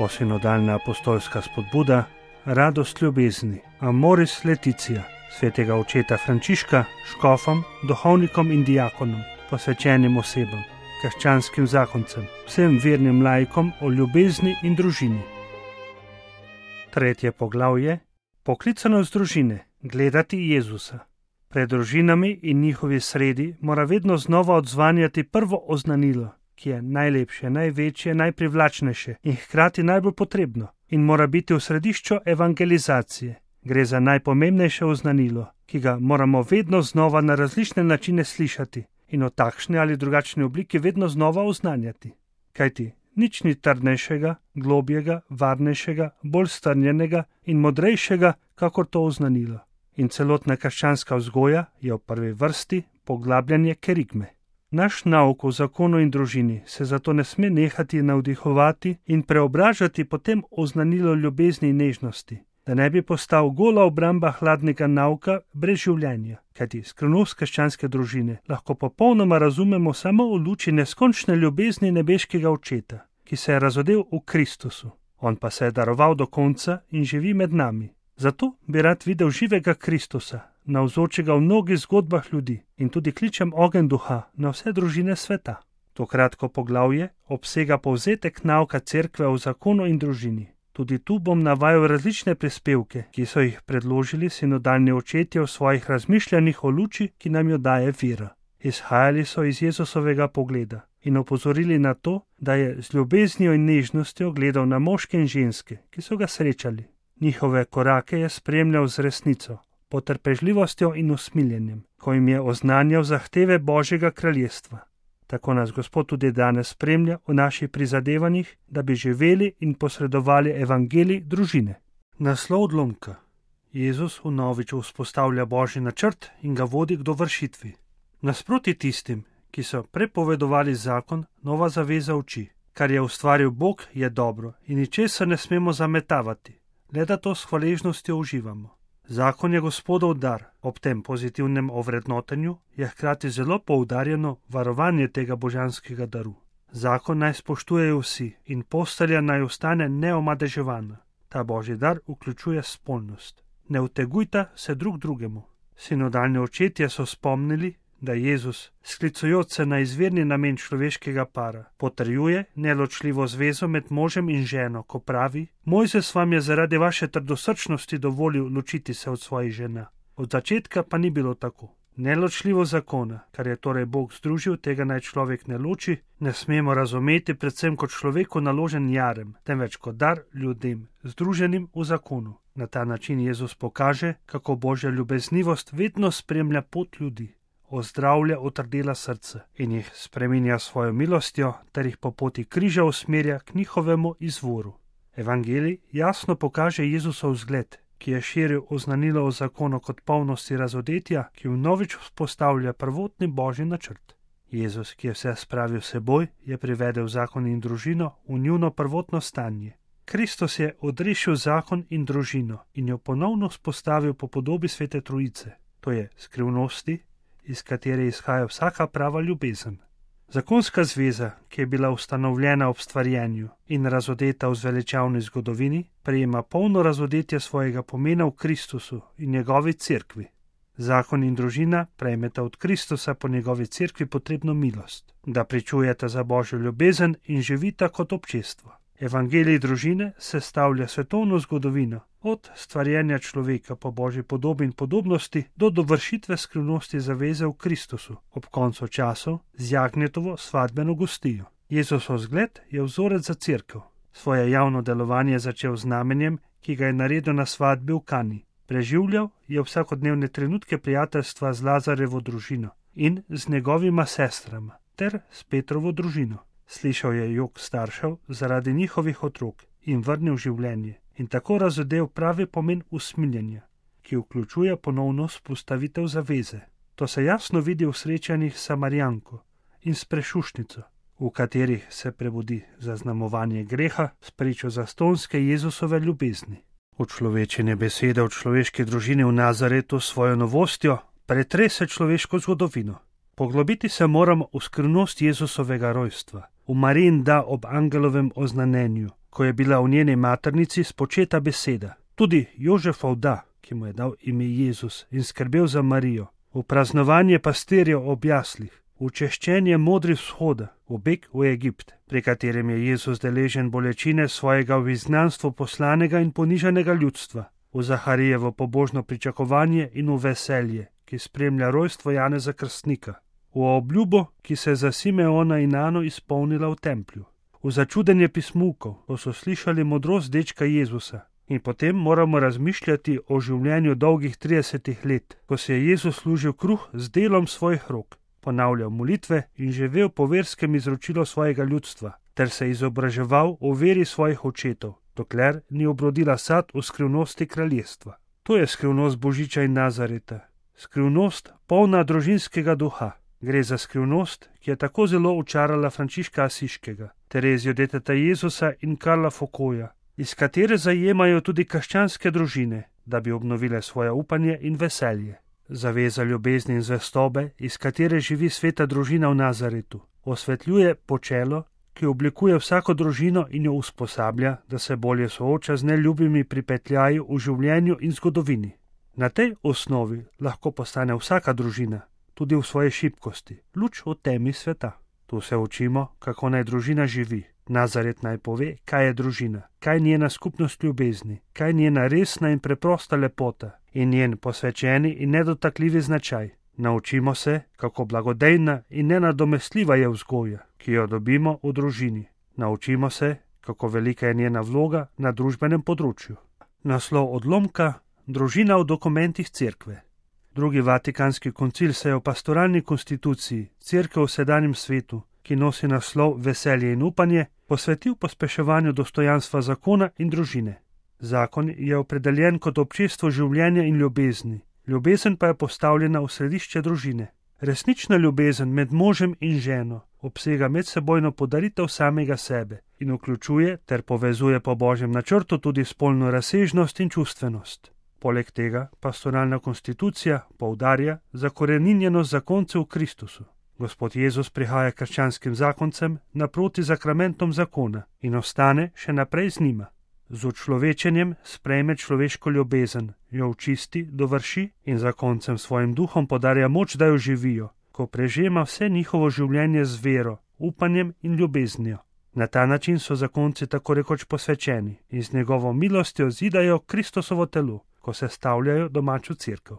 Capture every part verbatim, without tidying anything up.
Posinodalna apostolska spodbuda, radost ljubezni, Amoris Laetitia, svetega očeta Frančiška, škofom, duhovnikom in diakonom, posvečenim osebam, krščanskim zakoncem, vsem vernim laikom o ljubezni in družini. Tretje poglavje: poklicanost družine, gledati Jezusa. Pred družinami in njihovi sredi mora vedno znova odzvanjati prvo oznanilo, ki je najlepše, največje, najprivlačnejše in hkrati najbolj potrebno in mora biti v središču evangelizacije. Gre za najpomembnejše oznanilo, ki ga moramo vedno znova na različne načine slišati in v takšni ali drugačni obliki vedno znova oznanjati. Kajti nič ni trdnejšega, globjega, varnejšega, bolj strnjenega in modrejšega, kakor to oznanilo. In celotna krščanska vzgoja je v prvi vrsti poglabljanje kerigme. Naš nauk o zakonu in družini se zato ne sme nehati navdihovati in preobražati potem oznanilo ljubezni in nežnosti, da ne bi postal gola obramba hladnega nauka brez življenja, kajti skrivnost krščanske družine lahko popolnoma razumemo samo v luči neskončne ljubezni nebeškega očeta, ki se je razodel v Kristusu. On pa se je daroval do konca in živi med nami. Zato bi rad videl živega Kristusa, navzočega v mnogih zgodbah ljudi, in tudi kličem ogenj duha na vse družine sveta. To kratko poglavje obsega povzetek nauka cerkve o zakonu in družini. Tudi tu bom navajal različne prispevke, ki so jih predložili sinodalni očetje v svojih razmišljanjih o luči, ki nam jo daje vera. Izhajali so iz Jezusovega pogleda in opozorili na to, da je z ljubeznijo in nežnostjo gledal na moške in ženske, ki so ga srečali. Njihove korake je spremljal z resnico, potrpežljivostjo in usmiljenjem, ko jim je oznanjal zahteve Božjega kraljestva. Tako nas Gospod tudi danes spremlja v naših prizadevanjih, da bi živeli in posredovali evangelij družine. Naslov odlomka: Jezus vnovič vzpostavlja Božji načrt in ga vodi k dovršitvi. Nasproti tistim, ki so prepovedovali zakon, nova zaveza uči: kar je ustvaril Bog, je dobro in ničesar ne smemo zametavati, le da to s hvaležnostjo uživamo. Zakon je Gospodov dar, ob tem pozitivnem ovrednotenju je hkrati zelo poudarjeno varovanje tega božanskega daru. Zakon naj spoštujejo vsi in postelja naj ostane neomadeževana. Ta božji dar vključuje spolnost. Ne utegujta se drug drugemu. Sinodalni očetje so spomnili, da Jezus, sklicujoč se na izvirni namen človeškega para, potrjuje neločljivo zvezo med možem in ženo, ko pravi: Mojzes vam je zaradi vaše trdosrčnosti dovolil ločiti se od svojih žena. Od začetka pa ni bilo tako. Neločljivo zakona, kar je torej Bog združil, tega naj človek ne loči, ne smemo razumeti predvsem kot človeku naložen jarem, temveč kot dar ljudem, združenim v zakonu. Na ta način Jezus pokaže, kako Božja ljubeznivost vedno spremlja pot ljudi, ozdravlja otrdela srca in jih spreminja svojo milostjo ter jih po poti križa usmerja k njihovemu izvoru. Evangelij jasno pokaže Jezusov zgled, ki je širil oznanilo o zakonu kot polnosti razodetja, ki vnovič vzpostavlja prvotni Božji načrt. Jezus, ki je vse spravil seboj, je privedel zakon in družino v njuno prvotno stanje. Kristus je odrešil zakon in družino in jo ponovno vzpostavil po podobi Svete Trojice, to je skrivnosti, iz katere izhaja vsaka prava ljubezen. Zakonska zveza, ki je bila ustanovljena ob stvarjenju in razodeta v zveličavni zgodovini, prejema polno razodetje svojega pomena v Kristusu in njegovi cerkvi. Zakon in družina prejmeta od Kristusa po njegovi cerkvi potrebno milost, da pričujeta za Božjo ljubezen in živita kot občestvo. Evangelij družine sestavlja svetovno zgodovino, od stvarjenja človeka po Božji podobi in podobnosti do dovršitve skrivnosti zaveze v Kristusu ob koncu časov z jagnjetovo svadbeno gostijo. Jezusov zgled je vzorec za cerkev. Svoje javno delovanje je začel z znamenjem, ki ga je naredil na svadbi v Kani. Preživljal je vsakodnevne trenutke prijateljstva z Lazarevo družino in z njegovima sestrama ter s Petrovo družino. Slišal je jok staršev zaradi njihovih otrok in vrnil življenje in tako razodel pravi pomen usmiljenja, ki vključuje ponovno vzpostavitev zaveze. To se jasno vidi v srečanjih s Samarijanko in s prešušnico, v katerih se prebudi zaznamovanje greha s pričo zastonske Jezusove ljubezni. Učlovečenje besede v človeški družini v Nazaretu s svojo novostjo pretrese človeško zgodovino. Poglobiti se moramo v skrivnost Jezusovega rojstva, v Marijin da ob angelovem oznanenju, ko je bila v njeni maternici spočeta beseda. Tudi Jožefov da, ki mu je dal ime Jezus in skrbel za Marijo, v praznovanje pastirjev ob jaslih, v češčenje modri vzhoda, v beg v Egipt, pri katerem je Jezus deležen bolečine svojega v izgnanstvo poslanega in ponižanega ljudstva, v Zaharijevo pobožno pričakovanje in v veselje, ki spremlja rojstvo Janeza Krstnika, v obljubo, ki se je za Simeona in Ano izpolnila v templju, v začudenje pismukov, ko so slišali modrost dečka Jezusa. In potem moramo razmišljati o življenju dolgih tridesetih let, ko se je Jezus služil kruh z delom svojih rok, ponavljal molitve in živel po verskem izročilu svojega ljudstva, ter se izobraževal o veri svojih očetov, dokler ni obrodila sad v skrivnosti kraljestva. To je skrivnost Božiča in Nazareta, skrivnost polna družinskega duha. Gre za skrivnost, ki je tako zelo očarala Frančiška Asiškega, Terezijo deteta Jezusa in Karla Foucaulta, iz katere zajemajo tudi krščanske družine, da bi obnovile svoje upanje in veselje. Zaveza ljubezni in zvestobe, iz katere živi sveta družina v Nazaretu, osvetljuje počelo, ki oblikuje vsako družino in jo usposablja, da se bolje sooča z neljubimi pripetljaji v življenju in zgodovini. Na tej osnovi lahko postane vsaka družina, tudi v svoji šibkosti, luč v temi sveta. Tu se učimo, kako naj družina živi. Nazaret naj pove, kaj je družina, kaj njena skupnost ljubezni, kaj njena resna in preprosta lepota in njen posvečeni in nedotakljivi značaj. Naučimo se, kako blagodejna in nenadomestljiva je vzgoja, ki jo dobimo v družini. Naučimo se, kako velika je njena vloga na družbenem področju. Naslov odlomka: Družina v dokumentih cerkve. Drugi vatikanski koncil se je v pastoralni konstituciji Cerkev v sedanjem svetu, ki nosi naslov Veselje in upanje, posvetil pospeševanju dostojanstva zakona in družine. Zakon je opredeljen kot občestvo življenja in ljubezni, ljubezen pa je postavljena v središče družine. Resnična ljubezen med možem in ženo obsega medsebojno podaritev samega sebe in vključuje ter povezuje po božjem načrtu tudi spolno razsežnost in čustvenost. Poleg tega pastoralna konstitucija poudarja zakoreninjenost zakoncev v Kristusu. Gospod Jezus prihaja krščanskim zakoncem naproti zakramentom zakona in ostane še naprej z njima. Z učlovečenjem sprejme človeško ljubezen, jo očisti, dovrši in zakoncem svojim duhom podarja moč, da jo živijo, ko prežema vse njihovo življenje z vero, upanjem in ljubeznijo. Na ta način so zakonci tako rekoč posvečeni in z njegovo milostjo zidajo Kristusovo telo, ko se stavljajo domačo cerkev.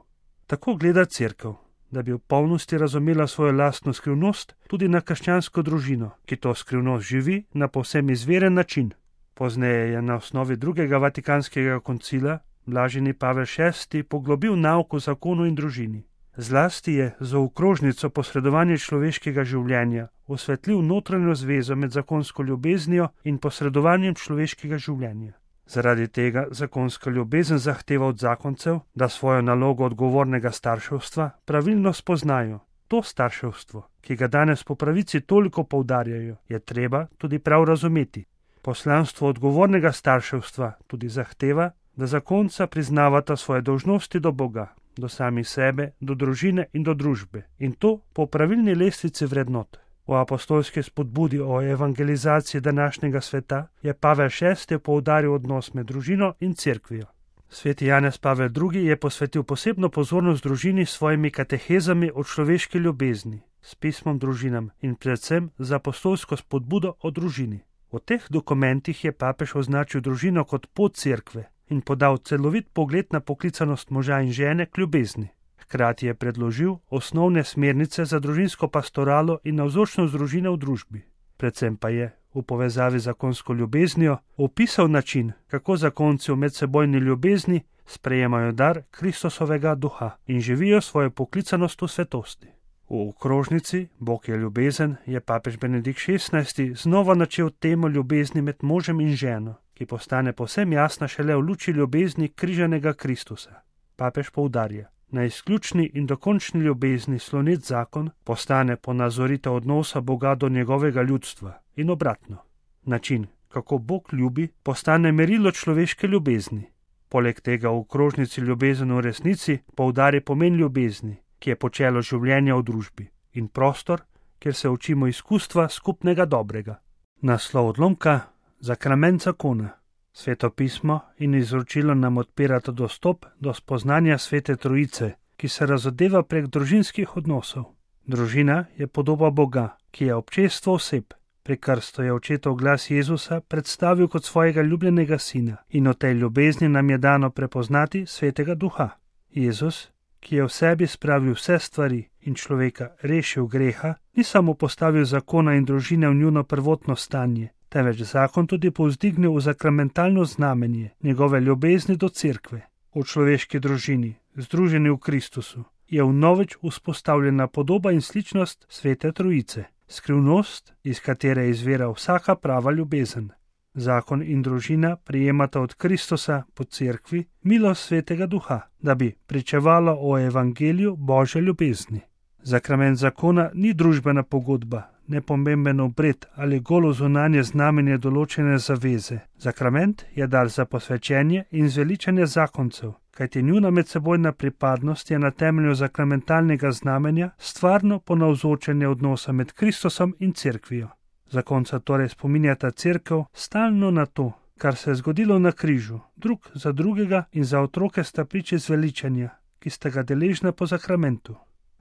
Tako gleda cerkev, da bi v polnosti razumela svojo lastno skrivnost tudi na krščansko družino, ki to skrivnost živi na povsem izveren način. Pozneje je na osnovi drugega vatikanskega koncila blaženi Pavel šesti poglobil nauk o zakonu in družini. Zlasti je za okrožnico posredovanje človeškega življenja osvetlil notranjo zvezo med zakonsko ljubeznijo in posredovanjem človeškega življenja. Zaradi tega zakonska ljubezen zahteva od zakoncev, da svojo nalogo odgovornega starševstva pravilno spoznajo. To starševstvo, ki ga danes po pravici toliko poudarjajo, je treba tudi prav razumeti. Poslanstvo odgovornega starševstva tudi zahteva, da zakonca priznavata svoje dolžnosti do Boga, do samih sebe, do družine in do družbe, in to po pravilni lestvici vrednot. V apostolski spodbudi o evangelizaciji današnjega sveta je Pavel šesti poudaril odnos med družino in cerkvijo. Sveti Janez Pavel drugi je posvetil posebno pozornost družini s svojimi katehezami o človeški ljubezni, s pismom družinam in predvsem z apostolsko spodbudo o družini. V teh dokumentih je papež označil družino kot pot cerkve in podal celovit pogled na poklicanost moža in žene k ljubezni. Hkrati je predložil osnovne smernice za družinsko pastoralo in navzočnost družine v družbi. Predvsem pa je, v povezavi z zakonsko ljubeznijo, opisal način, kako zakonci v medsebojni ljubezni sprejemajo dar Kristusovega duha in živijo svojo poklicanost v svetosti. V okrožnici Bog je ljubezen je papež Benedikt šestnajsti znova načel temo ljubezni med možem in ženo, ki postane povsem jasna šele v luči ljubezni križanega Kristusa. Papež poudarja: na izključni in dokončni ljubezni slonet zakon postane ponazoritev odnosa Boga do njegovega ljudstva in obratno. Način, kako Bog ljubi, postane merilo človeške ljubezni. Poleg tega v okrožnici ljubezen v resnici poudari pomen ljubezni, ki je počelo življenja v družbi, in prostor, kjer se učimo izkustva skupnega dobrega. Naslov odlomka: Zakrament zakona. Sveto pismo in izročilo nam odpirata dostop do spoznanja Svete Trojice, ki se razodeva prek družinskih odnosov. Družina je podoba Boga, ki je občestvo oseb. Pri krstu je očetov glas Jezusa predstavil kot svojega ljubljenega sina in v tej ljubezni nam je dano prepoznati Svetega Duha. Jezus, ki je v sebi spravil vse stvari in človeka rešil greha, ni samo postavil zakona in družine v njuno prvotno stanje, temveč zakon tudi povzdignil v zakramentalno znamenje njegove ljubezni do cerkve. V človeški družini, združeni v Kristusu, je vnovič vzpostavljena podoba in sličnost Svete Trojice, skrivnost, iz katere izvira vsaka prava ljubezen. Zakon in družina prijemata od Kristusa po cerkvi milost Svetega Duha, da bi pričevalo o evangeliju Božje ljubezni. Zakrament zakona ni družbena pogodba, nepomemben obred ali golo zunanje znamenje določene zaveze. Zakrament je dar za posvečenje in zveličanje zakoncev, kajti njuna medsebojna pripadnost je na temelju zakramentalnega znamenja stvarno ponavzočenje odnosa med Kristusom in cerkvijo. Zakonca torej spominjata cerkev stalno na to, kar se je zgodilo na križu, drug za drugega in za otroke sta priče zveličanja, ki sta ga deležna po zakramentu.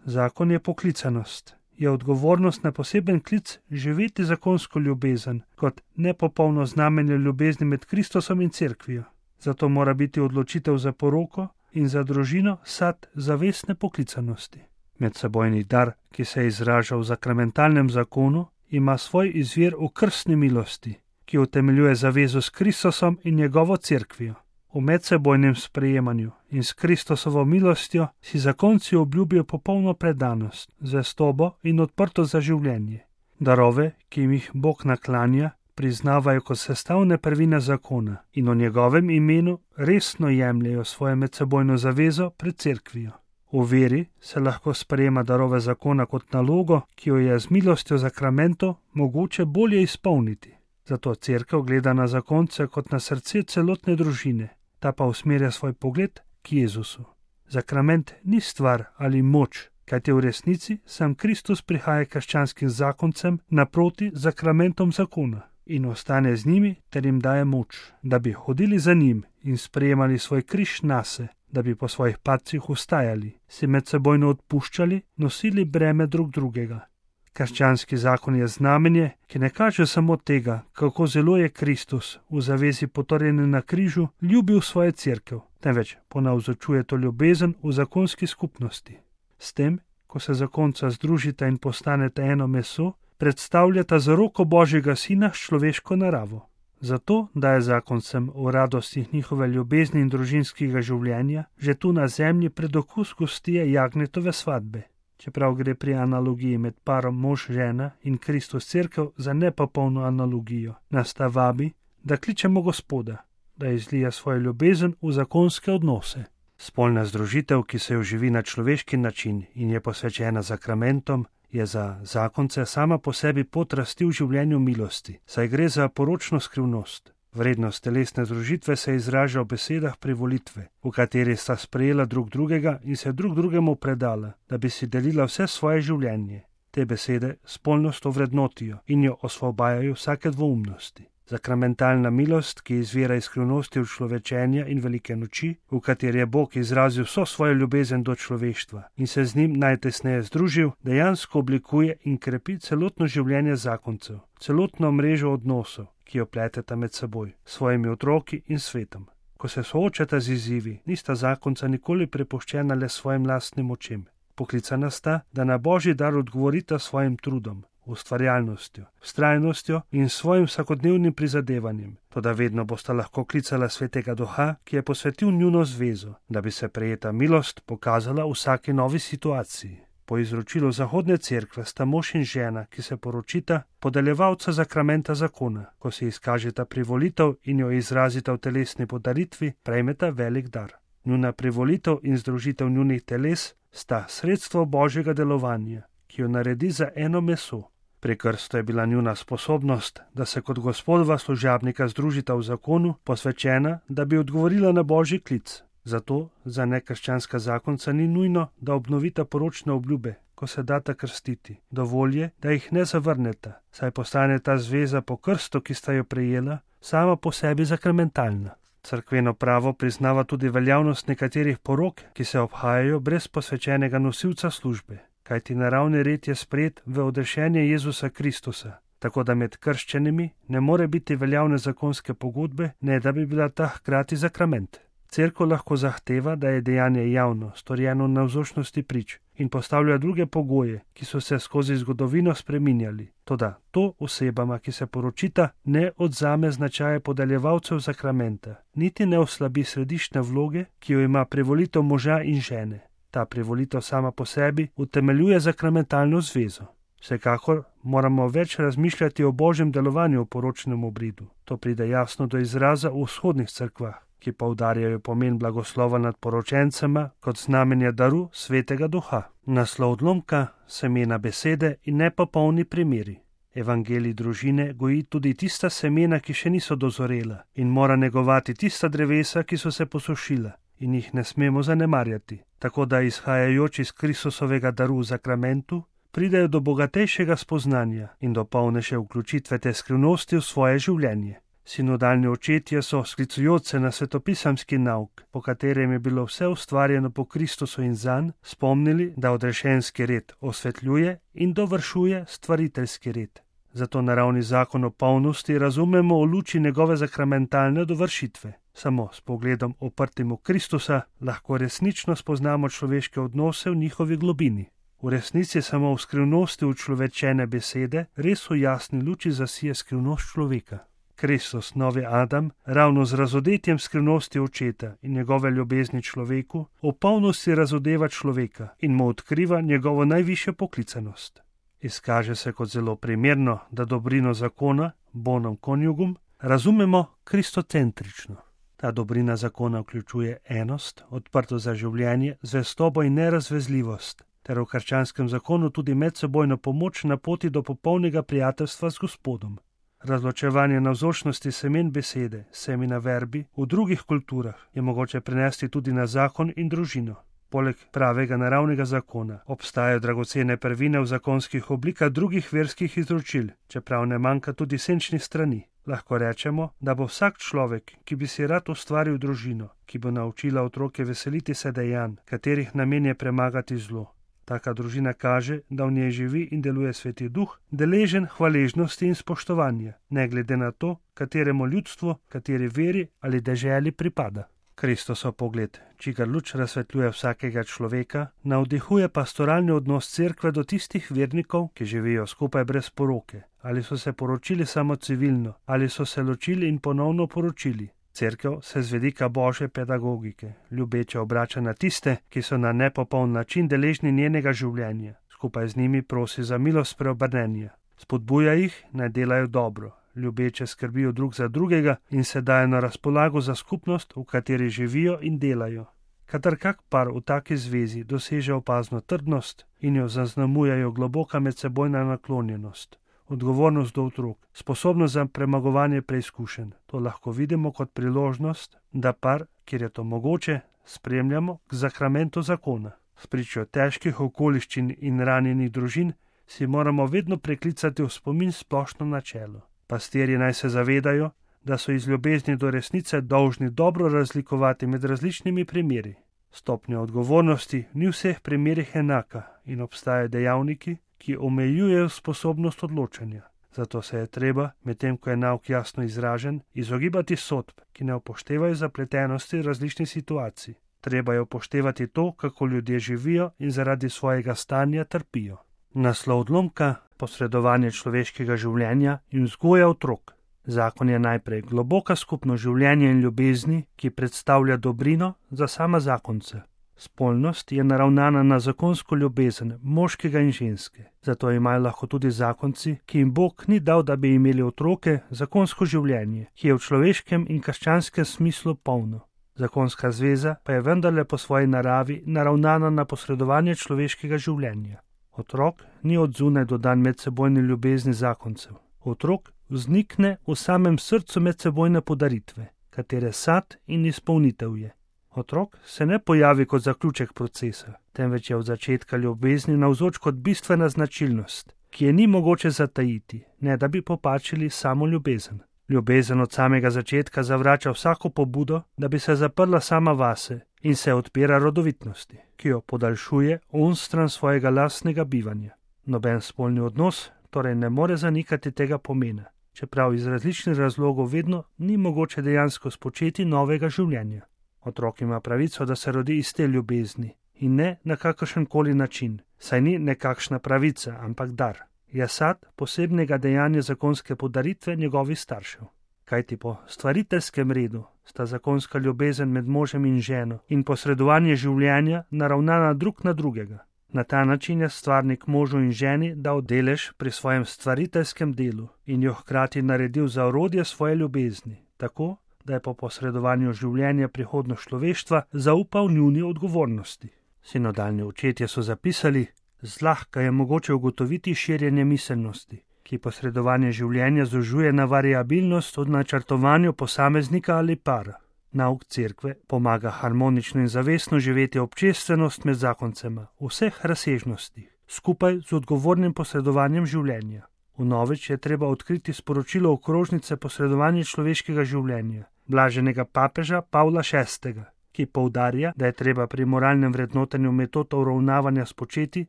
Zakon je poklicanost, je odgovornost na poseben klic živeti zakonsko ljubezen kot nepopolno znamenje ljubezni med Kristusom in cerkvijo. Zato mora biti odločitev za poroko in za družino sad zavestne poklicanosti. Medsebojni dar, ki se izraža v zakramentalnem zakonu, ima svoj izvir v krstni milosti, ki utemeljuje zavezo s Kristusom in njegovo cerkvijo. V medsebojnem sprejemanju in s Kristusovo milostjo si zakonci obljubijo popolno predanost, zvestobo in odprtost za življenje. Darove, ki jim jih Bog naklanja, priznavajo kot sestavne prvine zakona in v njegovem imenu resno jemljejo svojo medsebojno zavezo pred cerkvijo. V veri se lahko sprejema darove zakona kot nalogo, ki jo je z milostjo zakramentov mogoče bolje izpolniti. Zato cerkev gleda na zakonce kot na srce celotne družine, ta pa usmerja svoj pogled k Jezusu. Zakrament ni stvar ali moč, kajti v resnici sam Kristus prihaja krščanskim zakoncem naproti zakramentom zakona in ostane z njimi ter jim daje moč, da bi hodili za njim in sprejemali svoj križ nase, da bi po svojih padcih vstajali, si medsebojno odpuščali, nosili breme drug drugega. Krščanski zakon je znamenje, ki ne kaže samo tega, kako zelo je Kristus v zavezi potrjene na križu ljubil svojo cerkev, temveč ponavzočuje to ljubezen v zakonski skupnosti. S tem, ko se zakonca združita in postaneta eno meso, predstavljata zaroko Božjega sina s človeško naravo. Zato daje zakoncem v radostih njihove ljubezni in družinskega življenja že tu na zemlji predokus gostije Jagnetove svadbe. Čeprav gre pri analogiji med parom mož-žena in Kristus cerkev za nepopolno analogijo, nas ta vabi, da kličemo Gospoda, da izlija svojo ljubezen v zakonske odnose. Spolna združitev, ki se jo živi na človeški način in je posvečena zakramentom, je za zakonce sama po sebi pot rasti v življenju milosti, saj gre za poročno skrivnost. Vrednost telesne združitve se izraža v besedah privolitve, v kateri sta sprejela drug drugega in se drug drugemu predala, da bi si delila vse svoje življenje. Te besede spolnost ovrednotijo in jo osvobajajo vsake dvoumnosti. Zakramentalna milost, ki izvira iz skrivnosti človečenja in velike noči, v kateri je Bog izrazil vso svojo ljubezen do človeštva in se z njim najtesneje združil, dejansko oblikuje in krepi celotno življenje zakoncev, celotno mrežo odnosov, ki jo pleteta med seboj, svojimi otroki in svetom. Ko se soočata z izzivi, nista zakonca nikoli prepuščena le svojim lastnim očem. Poklicana sta, da na Božji dar odgovorita svojim trudom, ustvarjalnostjo, vztrajnostjo in svojim vsakodnevnim prizadevanjem, toda vedno bosta lahko klicala Svetega Duha, ki je posvetil njuno zvezo, da bi se prejeta milost pokazala v vsaki novi situaciji. Po izročilu Zahodne cerkve sta mož in žena, ki se poročita, podeljevalca zakramenta zakona. Ko se izkažeta privolitev in jo izrazita v telesni podaritvi, prejmeta velik dar. Njuna privolitev in združitev njunih teles sta sredstvo Božjega delovanja, ki jo naredi za eno meso. Pri krstu je bila njuna sposobnost, da se kot Gospodova služabnika združita v zakonu, posvečena, da bi odgovorila na Božji klic. Zato za nekrščanska zakonca ni nujno, da obnovita poročne obljube, ko se data krstiti. Dovolj je, da jih ne zavrneta, saj postane ta zveza po krstu, ki sta jo prejela, sama po sebi zakramentalna. Cerkveno pravo priznava tudi veljavnost nekaterih porok, ki se obhajajo brez posvečenega nosilca službe, kajti naravni red je sprejet v odrešenje Jezusa Kristusa, tako da med krščenimi ne more biti veljavne zakonske pogodbe, ne da bi bila ta hkrati zakrament. Cerkev lahko zahteva, da je dejanje javno, storjeno v navzočnosti prič in postavlja druge pogoje, ki so se skozi zgodovino spreminjali. Toda to osebama, ki se poročita, ne odzame značaje podeljevalcev zakramenta, niti ne oslabi središčne vloge, ki jo ima privolitev moža in žene. Ta privolitev sama po sebi utemeljuje zakramentalno zvezo. Vsekakor moramo več razmišljati o božjem delovanju v poročnem obridu. To pride jasno do izraza v vzhodnih cerkvah, ki poudarjajo pomen blagoslova nad poročencema kot znamenja daru svetega duha. Naslov odlomka, semena besede in nepopolni primeri. Evangelij družine goji tudi tista semena, ki še niso dozorela, in mora negovati tista drevesa, ki so se posušila, in jih ne smemo zanemarjati, tako da izhajajoč iz Kristusovega daru v zakramentu, pridejo do bogatejšega spoznanja in do polnejše vključitve te skrivnosti v svoje življenje. Sinodalni očetje so, sklicujoč se na svetopisamski nauk, po katerem je bilo vse ustvarjeno po Kristusu in zanj, spomnili, da odrešenski red osvetljuje in dovršuje stvariteljski red. Zato naravni zakon o polnosti razumemo v luči njegove zakramentalne dovršitve. Samo s pogledom oprtim v Kristusa lahko resnično spoznamo človeške odnose v njihovi globini. V resnici samo v skrivnosti učlovečene besede res v jasni luči zasije skrivnost človeka. Kristus, novi Adam, ravno z razodetjem skrivnosti očeta in njegove ljubezni človeku, v polnosti razodeva človeka in mu odkriva njegovo najvišjo poklicanost. Izkaže se kot zelo primerno, da dobrino zakona, bonum conjugum, razumemo kristocentrično. Ta dobrina zakona vključuje enost, odprto za življenje, zvestobo in nerazvezljivost, ter v krščanskem zakonu tudi medsebojno pomoč na poti do popolnega prijateljstva z Gospodom. Razločevanje navzočnosti semen besede, semina verbi, v drugih kulturah je mogoče prenesti tudi na zakon in družino. Poleg pravega naravnega zakona obstajajo dragocene prvine v zakonskih oblikah drugih verskih izročil, čeprav ne manjka tudi senčnih strani. Lahko rečemo, da bo vsak človek, ki bi si rad ustvaril družino, ki bo naučila otroke veseliti se dejanj, katerih namen je premagati zlo. Taka družina kaže, da v njej živi in deluje Sveti Duh, deležen hvaležnosti in spoštovanja, ne glede na to, kateremu ljudstvu, kateri veri ali deželi pripada. Kristusov pogled, čigar luč razsvetljuje vsakega človeka, navdihuje pastoralni odnos cerkve do tistih vernikov, ki živijo skupaj brez poroke, ali so se poročili samo civilno, ali so se ločili in ponovno poročili. Cerkev se z vidika božje pedagogike ljubeče obrača na tiste, ki so na nepopoln način deležni njenega življenja. Skupaj z njimi prosi za milost preobrnenja. Spodbuja jih, naj delajo dobro, ljubeče skrbijo drug za drugega in se dajo na razpolago za skupnost, v kateri živijo in delajo. Kadar kak par v taki zvezi doseže opazno trdnost in jo zaznamujejo globoka medsebojna naklonjenost, odgovornost do otrok, sposobnost za premagovanje preizkušenj. To lahko vidimo kot priložnost, da par, kjer je to mogoče, spremljamo k zakramentu zakona. Spričo težkih okoliščin in ranjenih družin si moramo vedno preklicati v spomin splošno načelo. Pastirji naj se zavedajo, da so iz ljubezni do resnice dolžni dobro razlikovati med različnimi primeri. Stopnja odgovornosti ni v vseh primerih enaka in obstajajo dejavniki, ki omejujejo sposobnost odločanja. Zato se je treba, medtem ko je nauk jasno izražen, izogibati sodb, ki ne upoštevajo zapletenosti različnih situacij. Treba je upoštevati to, kako ljudje živijo in zaradi svojega stanja trpijo. Naslov odlomka, posredovanje človeškega življenja in vzgoja otrok. Zakon je najprej globoka skupno življenje in ljubezni, ki predstavlja dobrino za sama zakonce. Spolnost je naravnana na zakonsko ljubezen moškega in ženske, zato imajo lahko tudi zakonci, ki jim Bog ni dal, da bi imeli otroke, zakonsko življenje, ki je v človeškem in krščanskem smislu polno. Zakonska zveza pa je vendarle po svoji naravi naravnana na posredovanje človeškega življenja. Otrok ni od zunaj dodan medsebojni ljubezni zakoncev. Otrok vznikne v samem srcu medsebojne podaritve, katere sad in izpolnitev je. Otrok se ne pojavi kot zaključek procesa, temveč je od začetka ljubezni navzoč kot bistvena značilnost, ki je ni mogoče zatajiti, ne da bi popačili samo ljubezen. Ljubezen od samega začetka zavrača vsako pobudo, da bi se zaprla sama vase in se odpira rodovitnosti, ki jo podaljšuje onstran svojega lastnega bivanja. Noben spolni odnos torej ne more zanikati tega pomena, čeprav iz različnih razlogov vedno ni mogoče dejansko spočeti novega življenja. Otrok ima pravico, da se rodi iz te ljubezni in ne na kakršenkoli način, saj ni nekakšna pravica, ampak dar. Je sad posebnega dejanja zakonske podaritve njegovih staršev. Kajti po stvariteljskem redu sta zakonska ljubezen med možem in ženo in posredovanje življenja naravnana drug na drugega. Na ta način je stvarnik možu in ženi dal delež pri svojem stvariteljskem delu in jo hkrati naredil za orodje svoje ljubezni, tako da je po posredovanju življenja prihodnost človeštva zaupal njuni odgovornosti. Sinodalni očetje so zapisali: zlahka je mogoče ugotoviti širjenje miselnosti, ki posredovanje življenja zožuje na variabilnost od načrtovanju posameznika ali para. Nauk cerkve pomaga harmonično in zavestno živeti občestvenost med zakoncema v vseh razsežnostih, skupaj z odgovornim posredovanjem življenja. Vnovič je treba odkriti sporočilo okrožnice posredovanja človeškega življenja, blaženega papeža Pavla šestega, ki poudarja, da je treba pri moralnem vrednotenju metod uravnavanja spočeti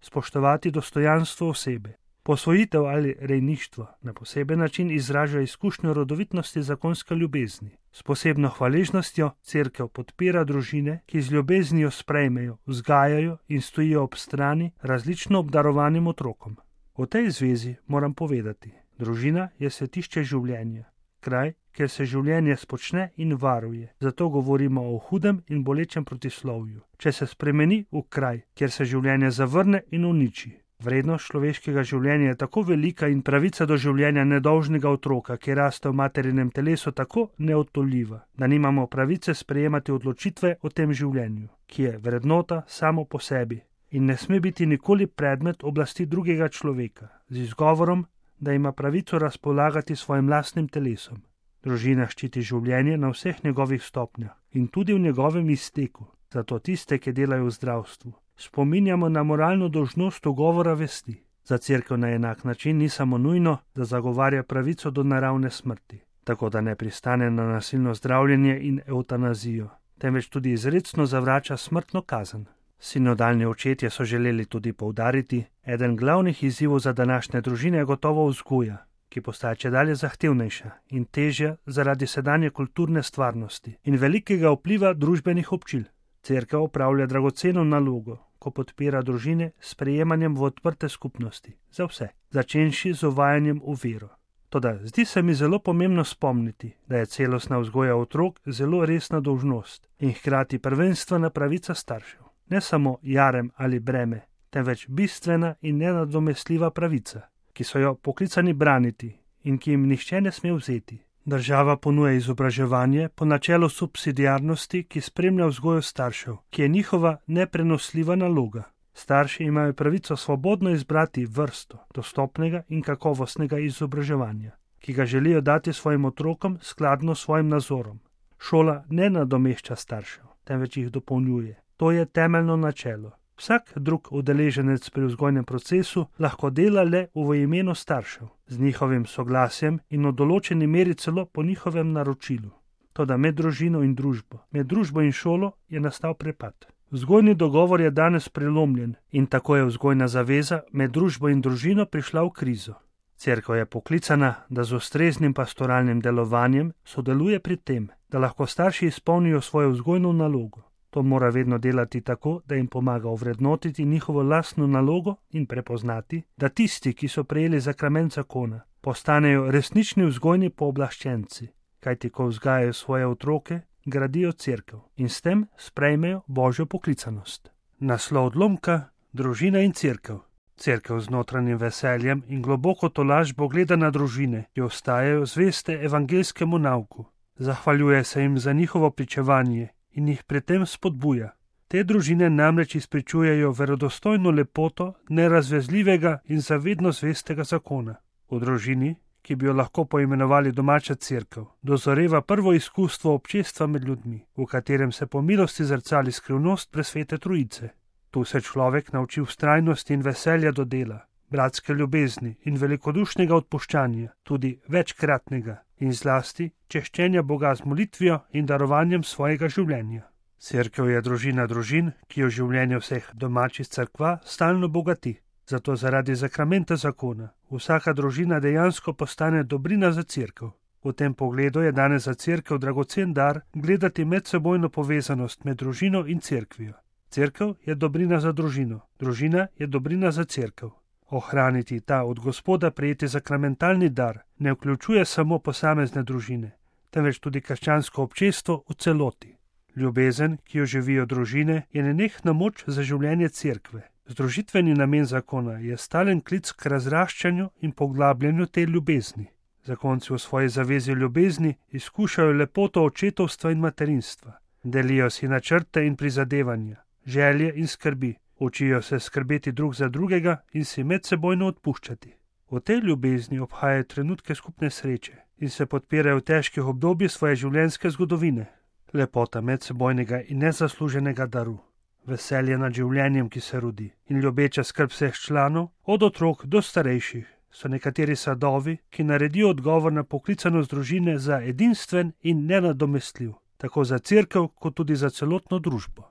spoštovati dostojanstvo osebe. Posvojitev ali rejništvo na poseben način izraža izkušnjo rodovitnosti zakonske ljubezni. S posebno hvaležnostjo cerkev podpira družine, ki z ljubeznijo sprejmejo, vzgajajo in stojijo ob strani različno obdarovanim otrokom. O tej zvezi moram povedati: družina je svetišče življenja, kraj, kjer se življenje spočne in varuje. Zato govorimo o hudem in bolečem protislovju. Če se spremeni v kraj, kjer se življenje zavrne in uniči. Vrednost človeškega življenja je tako velika in pravica do življenja nedolžnega otroka, ki raste v materinem telesu, tako neodtoljiva, da nimamo pravice sprejemati odločitve o tem življenju, ki je vrednota samo po sebi in ne sme biti nikoli predmet oblasti drugega človeka, z izgovorom, da ima pravico razpolagati svojim lastnim telesom. Družina ščiti življenje na vseh njegovih stopnjah in tudi v njegovem izteku, zato tiste, ki delajo v zdravstvu, spominjamo na moralno dolžnost ugovora vesti. Za cerkev na enak način ni samo nujno, da zagovarja pravico do naravne smrti, tako da ne pristane na nasilno zdravljenje in evtanazijo, temveč tudi izrecno zavrača smrtno kazen. Sinodalni očetje so želeli tudi poudariti: eden glavnih izzivov za današnje družine je gotovo vzgoja, ki postaja čedalje zahtevnejša in težja zaradi sedanje kulturne stvarnosti in velikega vpliva družbenih občil. Cerkev opravlja dragoceno nalogo, ko podpira družine s sprejemanjem v odprte skupnosti, za vse, začenši z uvajanjem v vero. Toda zdi se mi zelo pomembno spomniti, da je celostna vzgoja otrok zelo resna dolžnost in hkrati prvenstvena pravica staršev. Ne samo jarem ali breme, temveč bistvena in nenadomestljiva pravica, ki so jo poklicani braniti in ki jim nihče ne sme vzeti. Država ponuja izobraževanje po načelu subsidiarnosti, ki spremlja vzgojo staršev, ki je njihova neprenosljiva naloga. Starši imajo pravico svobodno izbrati vrsto dostopnega in kakovostnega izobraževanja, ki ga želijo dati svojim otrokom skladno s svojim nazorom. Šola ne nadomešča staršev, temveč jih dopolnjuje. To je temeljno načelo. Vsak drug udeleženec pri vzgojnem procesu lahko dela le v imenu staršev, z njihovim soglasjem in v določeni meri celo po njihovem naročilu. Toda med družino in družbo, med družbo in šolo je nastal prepad. Vzgojni dogovor je danes prelomljen in tako je vzgojna zaveza med družbo in družino prišla v krizo. Cerkev je poklicana, da z ustreznim pastoralnim delovanjem sodeluje pri tem, da lahko starši izpolnijo svojo vzgojno nalogo. To mora vedno delati tako, da jim pomaga ovrednotiti njihovo lastno nalogo in prepoznati, da tisti, ki so prejeli zakrament zakona, postanejo resnični vzgojni pooblaščenci, kajti ko vzgajajo svoje otroke, gradijo cerkev in s tem sprejmejo Božjo poklicanost. Naslov odlomka: družina in cerkev. Cerkev z notranjim veseljem in globoko tolažbo gleda na družine, ki ostajajo zveste evangeljskemu nauku. Zahvaljuje se jim za njihovo pričevanje in jih pri tem spodbuja. Te družine namreč izpričujejo verodostojno lepoto nerazvezljivega in zavedno zvestega zakona. V družini, ki bi jo lahko poimenovali domača cerkev, dozoreva prvo izkustvo občestva med ljudmi, v katerem se po milosti zrcali skrivnost presvete trojice. Tu se človek nauči vztrajnosti in veselja do dela, bratske ljubezni in velikodušnega odpuščanja, tudi večkratnega, in zlasti češčenja Boga z molitvijo in darovanjem svojega življenja. Cerkev je družina družin, ki jo življenje vseh domačih cerkva stalno bogati. Zato zaradi zakramenta zakona vsaka družina dejansko postane dobrina za cerkev. V tem pogledu je danes za cerkev dragocen dar gledati medsebojno povezanost med družino in cerkvijo. Cerkev je dobrina za družino, družina je dobrina za cerkev. Ohraniti ta od Gospoda prejeti zakramentalni dar ne vključuje samo posamezne družine, temveč tudi krščansko občestvo v celoti. Ljubezen, ki jo živijo družine, je nenehna moč za življenje cerkve. Združitveni namen zakona je stalen klic k razraščanju in poglabljanju te ljubezni. Zakonci v svoji zavezi ljubezni izkušajo lepoto očetovstva in materinstva. Delijo si načrte in prizadevanja, želje in skrbi, učijo se skrbeti drug za drugega in si medsebojno odpuščati. V tej ljubezni obhajajo trenutke skupne sreče in se podpirajo v težkih obdobjih svoje življenjske zgodovine. Lepota medsebojnega in nezasluženega daru, veselje nad življenjem, ki se rodi, in ljubeča skrb vseh članov, od otrok do starejših, so nekateri sadovi, ki naredijo odgovor na poklicanost družine za edinstven in nenadomestljiv, tako za cerkev kot tudi za celotno družbo.